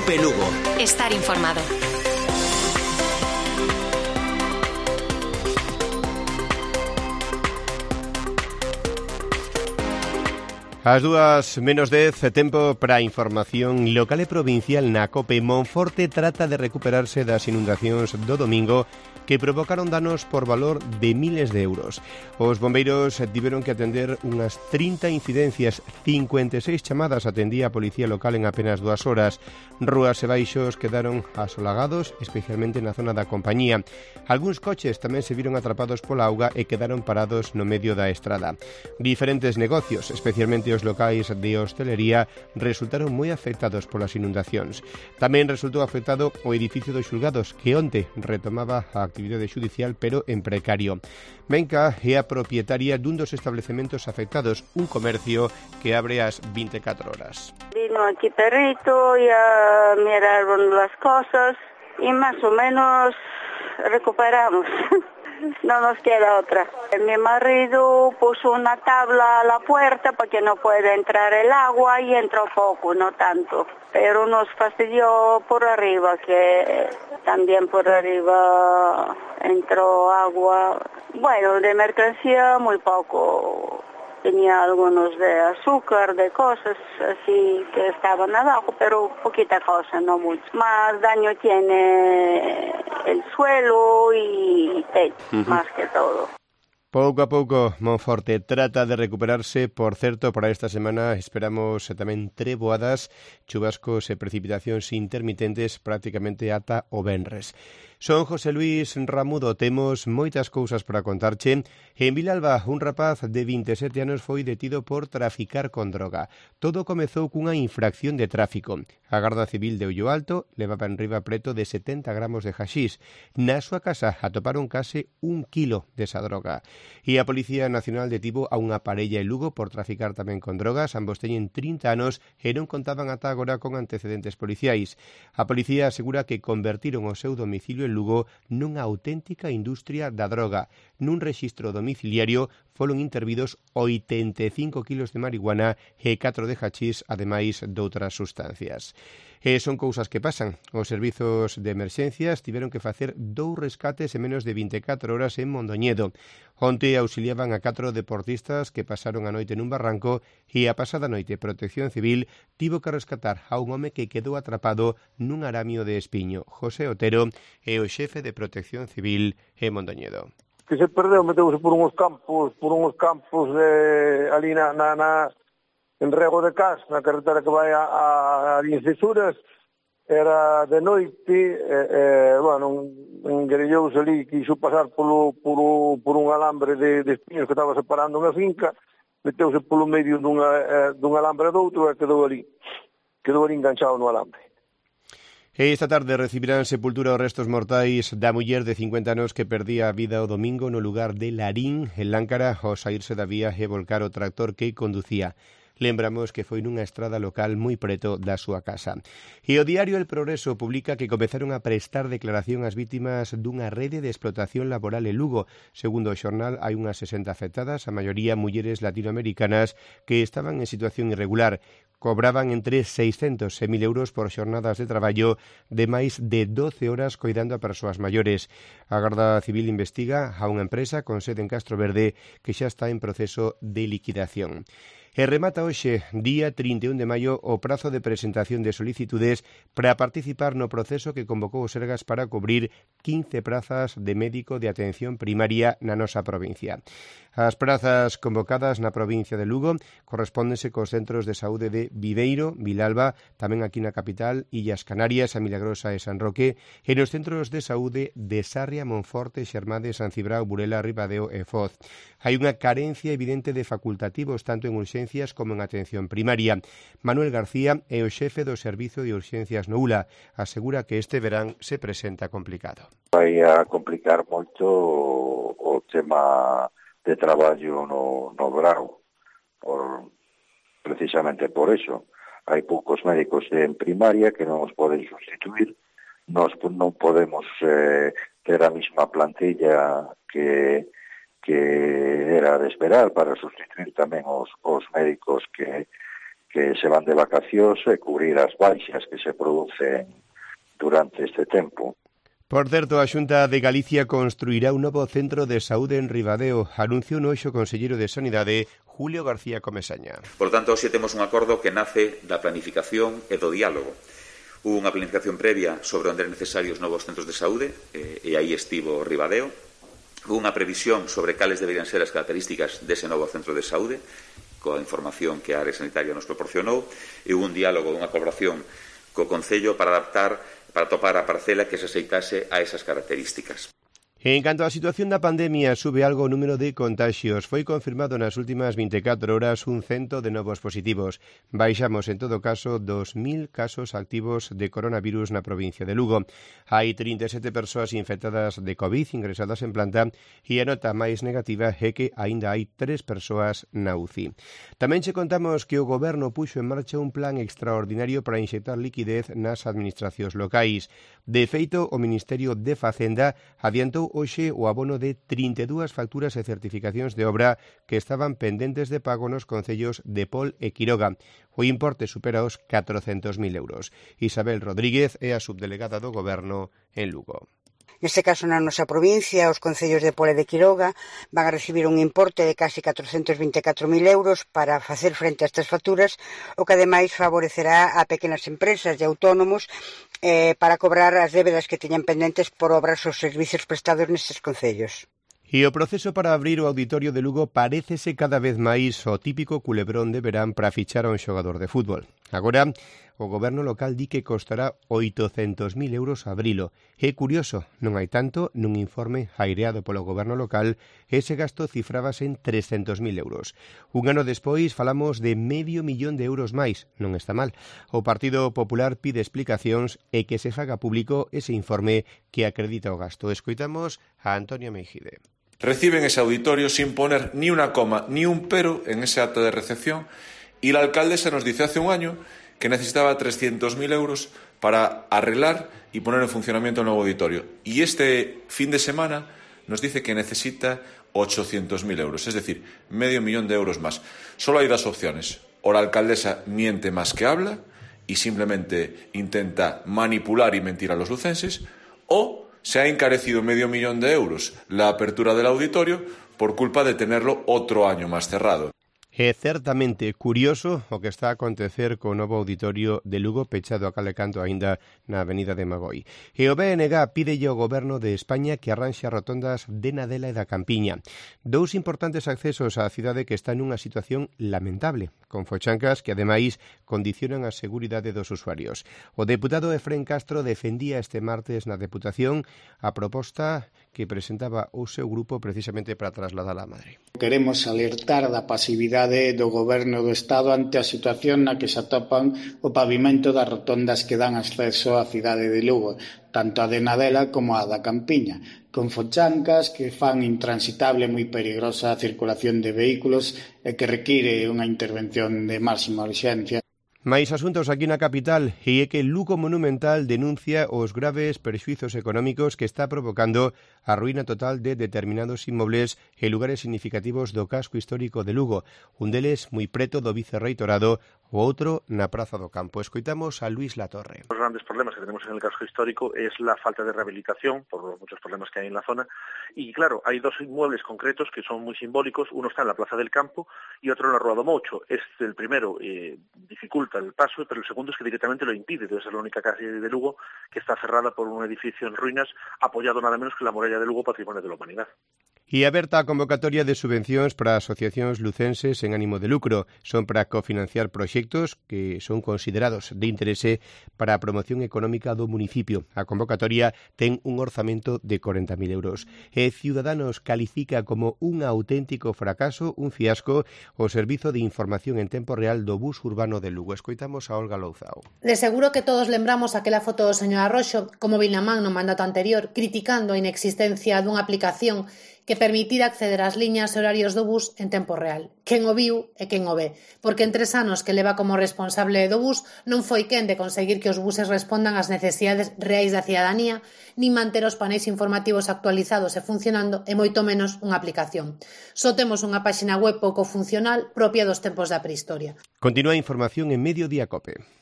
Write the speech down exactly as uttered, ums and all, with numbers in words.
COPE Lugo. Estar informado. As dúas menos dez, tempo para a información local e provincial na COPE. Monforte trata de recuperarse das inundacións do domingo que provocaron danos por valor de miles de euros. Os bombeiros tiveron que atender unhas trinta incidencias, cincuenta e seis chamadas atendía a policía local en apenas dúas horas. Rúas e baixos quedaron asolagados, especialmente na zona da compañía. Algúns coches tamén se viron atrapados pola auga e quedaron parados no medio da estrada. Diferentes negocios, especialmente os locais de hostelería, resultaron moi afectados polas inundacións. Tamén resultou afectado o edificio dos xulgados, que onte retomaba a actividade xudicial, pero en precario. Benca é a propietaria dun dos establecementos afectados, un comercio que abre ás veinticuatro horas. Vino aquí perrito, ya miraron las cosas y más o menos recuperamos. No nos queda otra. Mi marido puso una tabla a la puerta para que no pueda entrar el agua y entró poco, no tanto. Pero nos fastidió por arriba, que también por arriba entró agua. Bueno, de mercancía muy poco. Tenía algunos de azúcar, de cosas así que estaban abajo, pero poquita cosa, no mucho. Más daño tiene el suelo y techo, uh-huh. Más que todo. Pouco a pouco, Monforte trata de recuperarse. Por certo, para esta semana esperamos tamén treboadas, chubascos e precipitacións intermitentes prácticamente ata o venres. Son José Luis Ramudo, temos moitas cousas para contarche. En Vilalba, un rapaz de vinte e sete anos foi detido por traficar con droga. Todo comezou cunha infracción de tráfico. A Garda Civil de Ollo Alto levaba en riba preto de setenta gramos de haxís. Na súa casa atoparon case un kilo desa droga. E a Policía Nacional detivo a unha parella en Lugo por traficar tamén con drogas. Ambos teñen trinta anos e non contaban ata agora con antecedentes policiais. A policía asegura que convertiron o seu domicilio en Lugo nunha auténtica industria da droga. Nun rexistro domiciliario foron intervidos oitenta e cinco kilos de marihuana e catro de hachís, ademais doutras sustancias. E son cousas que pasan. Os servizos de emerxencias tiveron que facer dous rescates en menos de veinticuatro horas en Mondoñedo. Onte auxiliaban a catro deportistas que pasaron a noite nun barranco e a pasada noite Protección Civil tivo que rescatar a un home que quedou atrapado nun aramio de espiño. José Otero é o xefe de Protección Civil en Mondoñedo. Que se perdeu, meteuse por uns campos, por uns campos de, ali na, na, na en Rego de Cas, na carretera que vai a, a, a Vincesuras. Era de noite, eh, eh, bueno, engrellouse ali, quiso pasar polo, polo, por un alambre de, de espiños que estaba separando unha finca, meteuse polo medio dunha, eh, dun alambre doutro e quedou ali, quedou ali enganchado no alambre. Esta tarde recibirán sepultura os restos mortais da muller de cincuenta anos que perdía a vida o domingo no lugar de Larín, en Láncara, ao saírse da vía e volcar o tractor que conducía. Lembramos que foi nunha estrada local moi preto da súa casa. E o diario El Progreso publica que comezaron a prestar declaración as vítimas dunha rede de explotación laboral en Lugo. Segundo o xornal, hai unhas sesenta afectadas, a maioría mulleres latinoamericanas que estaban en situación irregular. Cobraban entre seiscentos e mil euros por xornadas de traballo de máis de doce horas coidando a persoas maiores. A Garda Civil investiga a unha empresa con sede en Castro Verde que xa está en proceso de liquidación. E remata hoxe, día trinta e un de maio, o prazo de presentación de solicitudes para participar no proceso que convocou o Sergas para cubrir quince prazas de médico de atención primaria na nosa provincia. As prazas convocadas na provincia de Lugo correspóndense cos centros de saúde de Viveiro, Vilalba, tamén aquí na capital, Illas Canarias, a Milagrosa e San Roque, e nos centros de saúde de Sarria, Monforte, Xermade, San Cibrao, Burela, Ribadeo e Foz. Hai unha carencia evidente de facultativos tanto en urxencias como en atención primaria. Manuel García é o xefe do Servizo de Urxencias no U L A. Asegura que este verán se presenta complicado. Vai a complicar moito o tema de traballo no, no grau, por, precisamente por eso. Hai poucos médicos en primaria que non os poden sustituir. Nós non podemos eh, ter a mesma plantilla que que era de esperar para sustituir tamén os, os médicos que, que se van de vacacións e cubrir as baixas que se producen durante este tempo. Por certo, a Xunta de Galicia construirá un novo centro de saúde en Ribadeo, anunciou no hoxe o conselleiro de Sanidade, Julio García Comesaña. Por tanto, hoxe temos un acordo que nace da planificación e do diálogo. Hubo unha planificación previa sobre onde eran necesarios novos centros de saúde, eh, e aí estivo Ribadeo. Hubo unha previsión sobre cales deberían ser as características dese novo centro de saúde, coa información que a área sanitaria nos proporcionou, e hubo un diálogo, unha colaboración co Concello para adaptar, para topar a parcela que se aceitase a esas características. En canto á situación da pandemia, sube algo o número de contaxios. Foi confirmado nas últimas vinte e catro horas un cento de novos positivos. Baixamos, en todo caso, dos mil casos activos de coronavirus na provincia de Lugo. Hai trinta e sete persoas infectadas de COVID ingresadas en planta e a nota máis negativa é que aínda hai tres persoas na U C I. Tamén che contamos que o Goberno puxo en marcha un plan extraordinario para inxectar liquidez nas administracións locais. De feito, o Ministerio de Facenda adiantou hoxe o abono de trinta e dúas facturas e certificacións de obra que estaban pendentes de pago nos concellos de Pol e Quiroga. O importe supera os catrocentos mil euros. Isabel Rodríguez é a subdelegada do Goberno en Lugo. Neste caso, na nosa provincia, os concellos de Pol e de Quiroga van a recibir un importe de casi catrocentos vinte e catro mil euros para facer frente a estas facturas, o que ademais favorecerá a pequenas empresas e autónomos eh, para cobrar as débedas que teñan pendentes por obras ou servicios prestados nestes concellos. E o proceso para abrir o auditorio de Lugo parécese cada vez máis o típico culebrón de verán para fichar a un xogador de fútbol. Agora, o goberno local di que costará oitocentos mil euros abrilo. É curioso, non hai tanto nun informe aireado polo goberno local, ese gasto cifrábase en trescentos mil euros. Un ano despois falamos de medio millón de euros máis, non está mal. O Partido Popular pide explicacións e que se faga público ese informe que acredita o gasto. Escoitamos a Antonio Meijide. Reciben ese auditorio sin poner ni una coma ni un pero en ese acto de recepción y la alcaldesa nos dice hace un año que necesitaba trescientos mil euros para arreglar y poner en funcionamiento el nuevo auditorio. Y este fin de semana nos dice que necesita ochocientos mil euros, es decir, medio millón de euros más. Solo hay dos opciones. O la alcaldesa miente más que habla y simplemente intenta manipular y mentir a los lucenses, o se ha encarecido medio millón de euros la apertura del auditorio por culpa de tenerlo otro año más cerrado. É certamente curioso o que está a acontecer co novo auditorio de Lugo pechado a cale canto aínda na avenida de Magoi. E o B N G pídelle ao Goberno de España que arranxe as rotondas de Nadela e da Campiña. Dous importantes accesos á cidade que están nunha situación lamentable, con fochancas que ademais condicionan a seguridade dos usuarios. O deputado Efrén Castro defendía este martes na Deputación a proposta que presentaba o seu grupo precisamente para trasladar a Madrid. Queremos alertar da pasividade do Goberno do Estado ante a situación na que se atopan o pavimento das rotondas que dan acceso á cidade de Lugo, tanto a de Nadela como a da Campiña, con fochancas que fan intransitable moi perigosa a circulación de vehículos e que require unha intervención de máxima urxencia. Mais asuntos aquí na capital e é que Lugo Monumental denuncia os graves perxuizos económicos que está provocando a ruína total de determinados inmobles e lugares significativos do casco histórico de Lugo, un deles moi preto do vicerreitorado, o outro na Praza do Campo. Escoitamos a Luis Latorre. Los grandes problemas que tenemos en el casco histórico es la falta de rehabilitación por los muchos problemas que hay en la zona y claro, hay dos inmuebles concretos que son muy simbólicos, uno está en la Plaza del Campo y otro en la Rua do Moucho. Este, el primero eh, dificulta el paso, pero el segundo es que directamente lo impide. Debe ser la única calle de Lugo que está cerrada por un edificio en ruinas apoyado nada menos que la muralla de Lugo, Patrimonio de la Humanidad. E aberta a convocatoria de subvencións para asociacións lucenses en ánimo de lucro. Son para cofinanciar proxectos que son considerados de interese para a promoción económica do municipio. A convocatoria ten un orzamento de corenta mil euros. E Ciudadanos califica como un auténtico fracaso, un fiasco, o Servizo de Información en Tempo Real do Bus Urbano de Lugo. Escoitamos a Olga Louzao. De seguro que todos lembramos aquela foto do señor Arroxo como móvil na man no mandato anterior, criticando a inexistencia dunha aplicación que permitira acceder ás liñas e horarios do bus en tempo real. Quen o viu e quen o ve, porque en tres anos que leva como responsable do bus non foi quen de conseguir que os buses respondan ás necesidades reais da cidadanía, nin manter os paneis informativos actualizados e funcionando, e moito menos unha aplicación. Só temos unha páxina web pouco funcional propia dos tempos da prehistoria. Continúa a información en Mediodía Cope.